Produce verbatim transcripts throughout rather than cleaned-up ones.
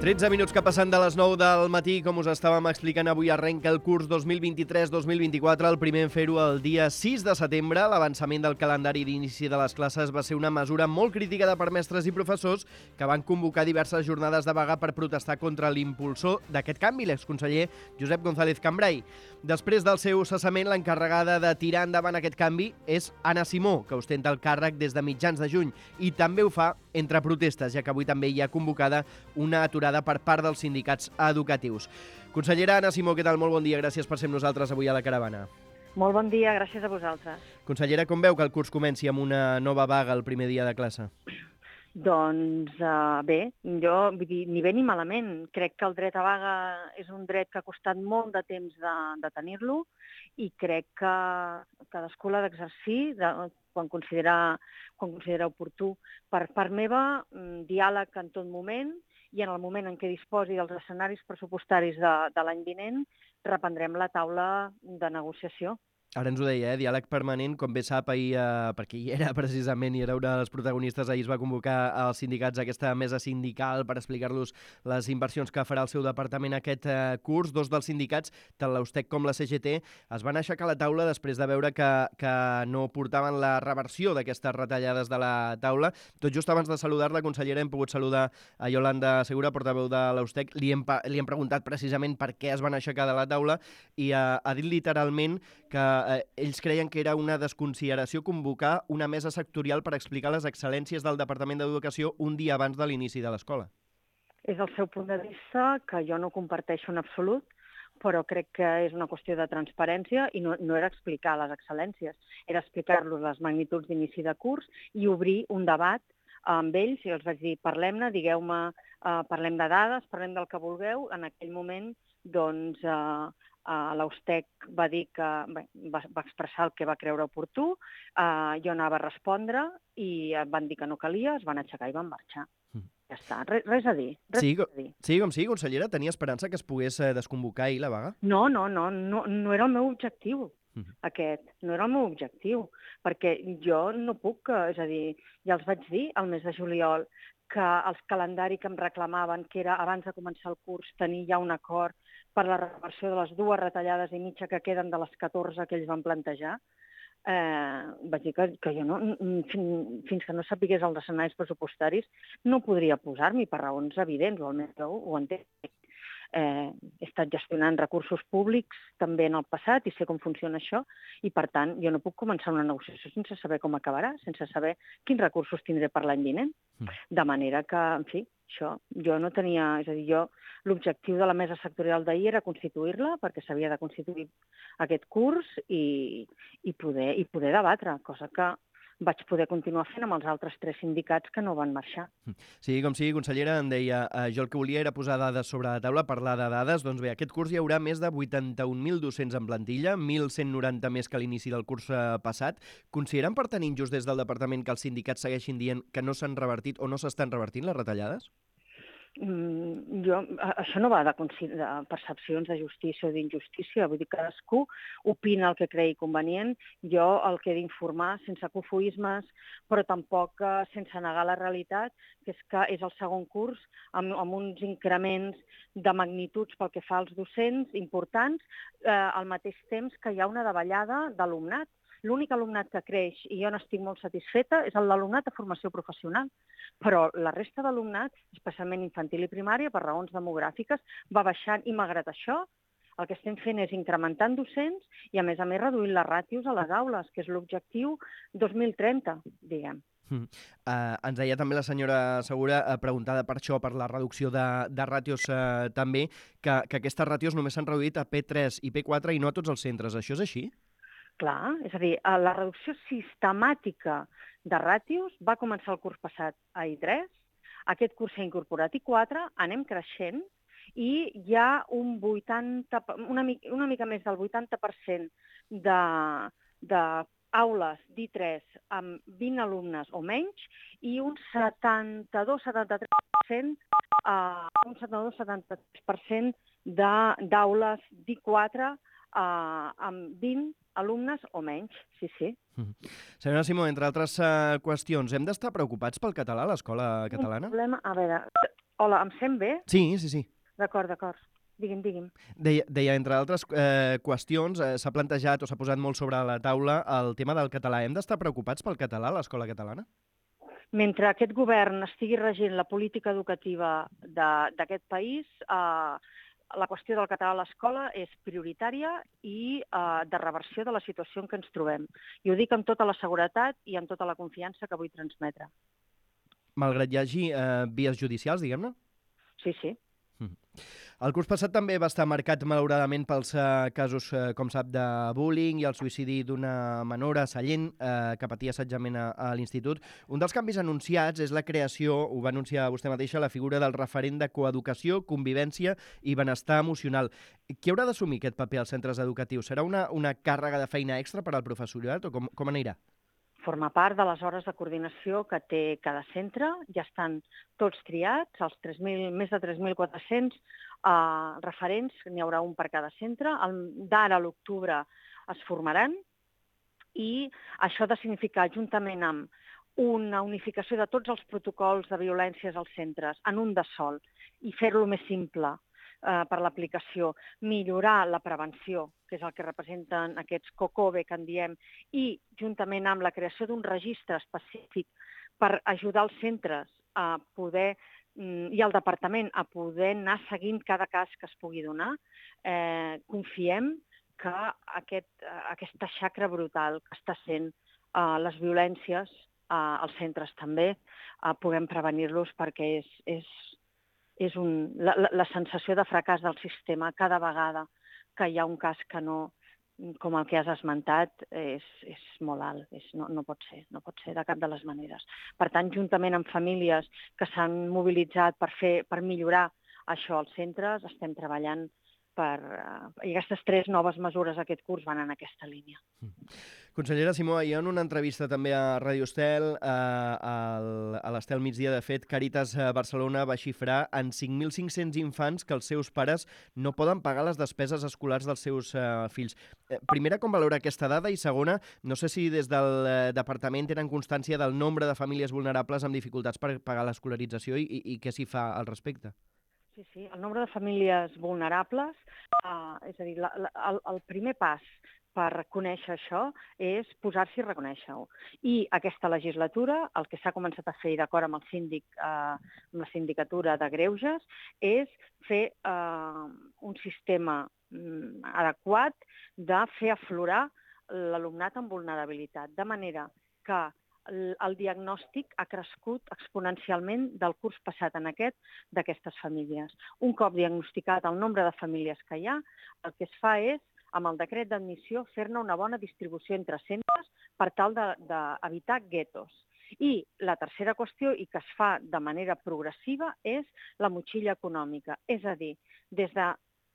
tretze minuts que passen de les nou del matí, com us estàvem explicant, avui arrenca el curs dos mil vint-i-tres dos mil vint-i-quatre, el primer en fer-ho el dia sis de setembre. L'avançament del calendari d'inici de les classes va ser una mesura molt criticada per mestres i professors que van convocar diverses jornades de vaga per protestar contra l'impulsor d'aquest canvi, l'exconseller Josep González Cambray. Després del seu cessament, l'encarregada de tirar endavant aquest canvi és Anna Simó, que ostenta el càrrec des de mitjans de juny, i també ho fa entre protestes, ja que avui també hi ha convocada una aturada per part dels sindicats educatius. Consellera Anna Simó, què tal? Molt bon dia, gràcies per ser amb nosaltres avui a la Caravana. Molt bon dia, gràcies a vosaltres. Consellera, com veu que el curs comenci amb una nova vaga el primer dia de classe? Doncs uh, bé, jo vull dir, ni bé ni malament. Crec que el dret a vaga és un dret que ha costat molt de temps de, de tenir-lo i crec que cadascú l'ha d'exercir de, quan, considera, quan considera oportú. Per part meva, diàleg en tot moment, i en el moment en què disposi dels escenaris pressupostaris de, de l'any vinent, reprendrem la taula de negociació. Ara ens ho deia, eh? Diàleg permanent, com bé sap, ahir, eh, perquè hi era precisament, i era una dels protagonistes, ahir es va convocar als sindicats a aquesta mesa sindical per explicar-los les inversions que farà el seu departament aquest eh, curs. Dos dels sindicats, tant l'Austec com la C G T, es van aixecar a la taula després de veure que, que no portaven la reversió d'aquestes retallades de la taula. Tot just abans de saludar-la, consellera, hem pogut saludar a Iolanda Segura, portaveu de l'Austec. Li hem, li hem preguntat precisament per què es van aixecar de la taula i eh, ha dit literalment que eh, ells creien que era una desconsideració convocar una mesa sectorial per explicar les excel·lències del Departament d'Educació un dia abans de l'inici de l'escola. És el seu punt de vista, que jo no comparteixo en absolut, però crec que és una qüestió de transparència i no, no era explicar les excel·lències, era explicar-los les magnituds d'inici de curs i obrir un debat amb ells, i els vaig dir, parlem-ne, digueu-me, uh, parlem de dades, parlem del que vulgueu. En aquell moment, doncs, uh, uh, l'Austec va dir que, bé, va, va expressar el que va creure oportú, uh, jo anava a respondre i van dir que no calia, es van aixecar i van marxar. Mm. Ja està, res, res a dir. Res sí, a dir. Sí, com sí, consellera, tenia esperança que es pogués eh, desconvocar ahir la vaga? No, no, no, no, no era el meu objectiu. Aquest no era el meu objectiu, perquè jo no puc, és a dir, ja els vaig dir al mes de juliol que el calendari que em reclamaven, que era abans de començar el curs tenir ja un acord per la reversió de les dues retallades i mitja que queden de les catorze que ells van plantejar, eh, vaig dir que, que jo no, fins, fins que no sapigués els escenaris pressupostaris no podria posar-m'hi per raons evidents, o almenys ho, ho entenc. Eh, he estat gestionant recursos públics també en el passat i sé com funciona això i, per tant, jo no puc començar una negociació sense saber com acabarà, sense saber quins recursos tindré per l'any vinent. De manera que, en fi, això, jo no tenia... És a dir, jo, l'objectiu de la mesa sectorial d'ahir era constituir-la, perquè s'havia de constituir aquest curs i, i, poder, i poder debatre, cosa que vaig poder continuar fent amb els altres tres sindicats que no van marxar. Sí, com sigui, consellera, em deia, eh, jo el que volia era posar dades sobre la taula, parlar de dades. Doncs bé, aquest curs hi haurà més de vuitanta-un mil docents en plantilla, mil cent noranta més que a l'inici del curs eh, passat. Consideren per tant injust des del departament que els sindicats segueixin dient que no s'han revertit o no s'estan revertint les retallades? Mm, jo, això no va de, de percepcions de justícia o d'injustícia, vull dir, cadascú opina el que cregui convenient. Jo el que he d'informar, sense cofoismes, però tampoc eh, sense negar la realitat, que és que és el segon curs amb, amb uns increments de magnituds pel que fa als docents importants, eh, al mateix temps que hi ha una davallada d'alumnat. L'únic alumnat que creix, i jo n'estic molt satisfeta, és l'alumnat de formació professional. Però la resta d'alumnat, especialment infantil i primària, per raons demogràfiques, va baixant i, malgrat això, el que estem fent és incrementant docents i, a més a més, reduint les ràtios a les aules, que és l'objectiu dos mil trenta, diguem. Mm. Uh, ens deia també la senyora Segura, uh, preguntada per això, per la reducció de, de ràtios uh, també, que, que aquestes ràtios només s'han reduït a P tres i P quatre i no a tots els centres. Això és així? Clar, és a dir, la reducció sistemàtica de ràtios va començar el curs passat a I tres, aquest curs s'ha incorporat I quatre, anem creixent i hi ha un vuitanta, una, mica, una mica més del vuitanta per cent de, de aules d'I tres amb vint alumnes o menys i un setanta-dos setanta-tres per cent, uh, un setanta-dos setanta-tres per cent d'aules d'I quatre uh, amb vint alumnes o menys, sí, sí. Mm. Senyora Simó, entre altres uh, qüestions, hem d'estar preocupats pel català a l'escola catalana? Un problema, a veure, Hola, em sent bé? Sí, sí, sí. D'acord, d'acord. Digui'm, digui'm. Deia, deia entre altres eh, qüestions, eh, s'ha plantejat o s'ha posat molt sobre la taula el tema del català. Hem d'estar preocupats pel català a l'escola catalana? Mentre aquest govern estigui regint la política educativa d'aquest país, eh, la qüestió del català a l'escola és prioritària i eh, de reversió de la situació en què ens trobem. I ho dic amb tota la seguretat i amb tota la confiança que vull transmetre. Malgrat hi hagi eh, vies judicials, diguem-ne? Sí, sí. Mm. El curs passat també va estar marcat, malauradament, pels eh, casos, eh, com sap, de bullying i el suïcidi d'una menor a Sallent eh, que patia assetjament a, a l'institut. Un dels canvis anunciats és la creació, ho va anunciar vostè mateixa, la figura del referent de coeducació, convivència i benestar emocional. Qui haurà d'assumir aquest paper als centres educatius? Serà una, una càrrega de feina extra per al professorat o com, com anirà? Forma part de les hores de coordinació que té cada centre. Ja estan tots triats, els tres mil, més de tres mil quatre-cents eh, referents, n'hi haurà un per cada centre. D'ara a l'octubre es formaran i això ha de significar, juntament amb una unificació de tots els protocols de violències als centres en un de sol i fer-lo més simple eh, per l'aplicació, millorar la prevenció, que és el que representen aquests COCOBE que en diem, i juntament amb la creació d'un registre específic per ajudar els centres a poder i al departament a poder anar seguint cada cas que es pugui donar, eh, confiem que aquest, aquesta xacra brutal que està sent eh, les violències eh, als centres també, eh, puguem prevenir-los perquè és, és, és un, la, la sensació de fracàs del sistema cada vegada que hi ha un cas que no, com el que has esmentat, és, és molt alt. És, no, no pot ser, no pot ser de cap de les maneres. Per tant, juntament amb famílies que s'han mobilitzat per, fer, per millorar això als centres, estem treballant per... I aquestes tres noves mesures aquest curs van en aquesta línia. Consellera Simó, ahir en una entrevista també a Ràdio Estel, eh, a l'Estel Migdia, de fet, Càritas Barcelona va xifrar en cinc mil cinc-cents infants que els seus pares no poden pagar les despeses escolars dels seus eh, fills. Eh, primera, com valora aquesta dada? I segona, no sé si des del eh, departament tenen constància del nombre de famílies vulnerables amb dificultats per pagar l'escolarització i, i, i què s'hi fa al respecte? Sí, sí, el nombre de famílies vulnerables, eh, és a dir, la, la, el, el primer pas per conèixer això és posar-s'hi i reconèixer-ho. I aquesta legislatura, el que s'ha començat a fer, d'acord amb el síndic, eh, amb la sindicatura de Greuges, és fer eh, un sistema mm, adequat de fer aflorar l'alumnat amb vulnerabilitat, de manera que el diagnòstic ha crescut exponencialment del curs passat en aquest d'aquestes famílies. Un cop diagnosticat el nombre de famílies que hi ha, el que es fa és, amb el decret d'admissió, fer-ne una bona distribució entre centres per tal d'evitar guetos. I la tercera qüestió, i que es fa de manera progressiva, és la motxilla econòmica. És a dir, des de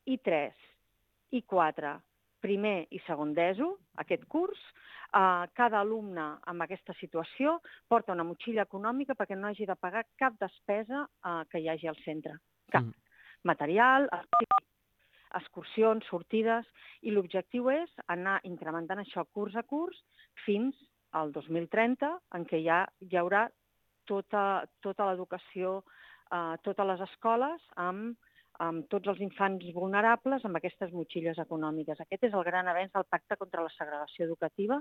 I tres, I quatre, primer i segon d'ESO, aquest curs, eh, cada alumne amb aquesta situació porta una motxilla econòmica perquè no hagi de pagar cap despesa eh, que hi hagi al centre. Cap. Mm. Material, excursions, sortides, i l'objectiu és anar incrementant això curs a curs fins al dos mil trenta, en què ja hi haurà tota, tota l'educació, eh, totes les escoles amb amb tots els infants vulnerables amb aquestes motxilles econòmiques. Aquest és el gran avenç del Pacte contra la Segregació Educativa,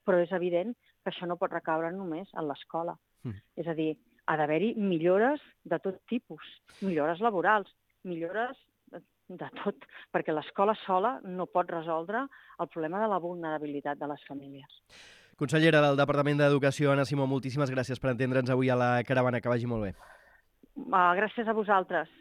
però és evident que això no pot recaure només en l'escola. Mm. És a dir, ha d'haver-hi millores de tot tipus, millores laborals, millores de tot, perquè l'escola sola no pot resoldre el problema de la vulnerabilitat de les famílies. Consellera del Departament d'Educació, Anna Simó, moltíssimes gràcies per entendre'ns avui a la Caravana. Que vagi molt bé. Uh, gràcies a vosaltres.